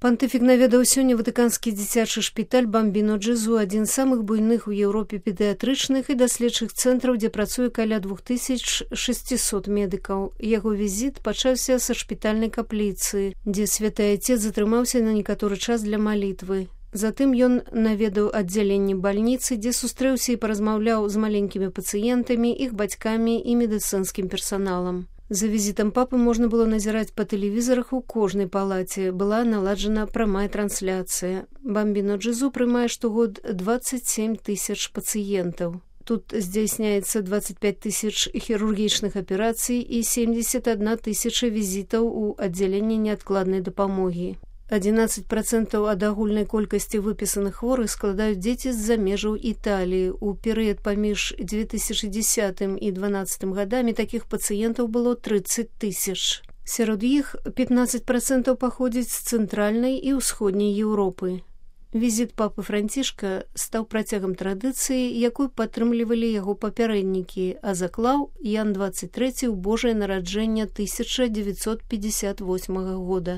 Пантыфік наведаў сёння ватыканскі дзіцячы шпіталь Бамбіно Джезу, адзін з самых буйных у Еўропе педыятрычных і даследчых цэнтраў, дзе працуе каля 2600 медыкаў. Яго візіт пачаўся са шпітальнай капліцы, дзе святы айцец затрымаўся на некаторы час для малітвы. Затым ён наведаў аддзяленне бальніцы, дзе сустрэўся і паразмаўляў з маленькімі пацыентамі, іх бацькамі і медыцынскім персаналам. За візітам папы можна было назіраць па тэлевізарах у кожнай палаце. Была наладжана прамая трансляцыя. Бамбіно Джезу прымае штогод 27 тысяч пацыентаў. Тут здзяйсняецца 25 тысяч хірургічных аперацый і 71 тысяча візітаў у аддзяленне неадкладнай дапамогі. 11% ад агульнай колькасці выпісаных хворых складаюць дзеці з-за межаў Італіі. У перыяд паміж 2010 і 2012 гадамі такіх пацыентаў было 30 тысяч. Сярод іх 15% паходзіць з цэнтральнай і ўсходняй Еўропы. Візіт папы Францішка стаў працягам традыцыі, якую падтрымлівалі яго папярэднікі, а заклаў Ян 23 ў Божае нараджэнне 1958 года.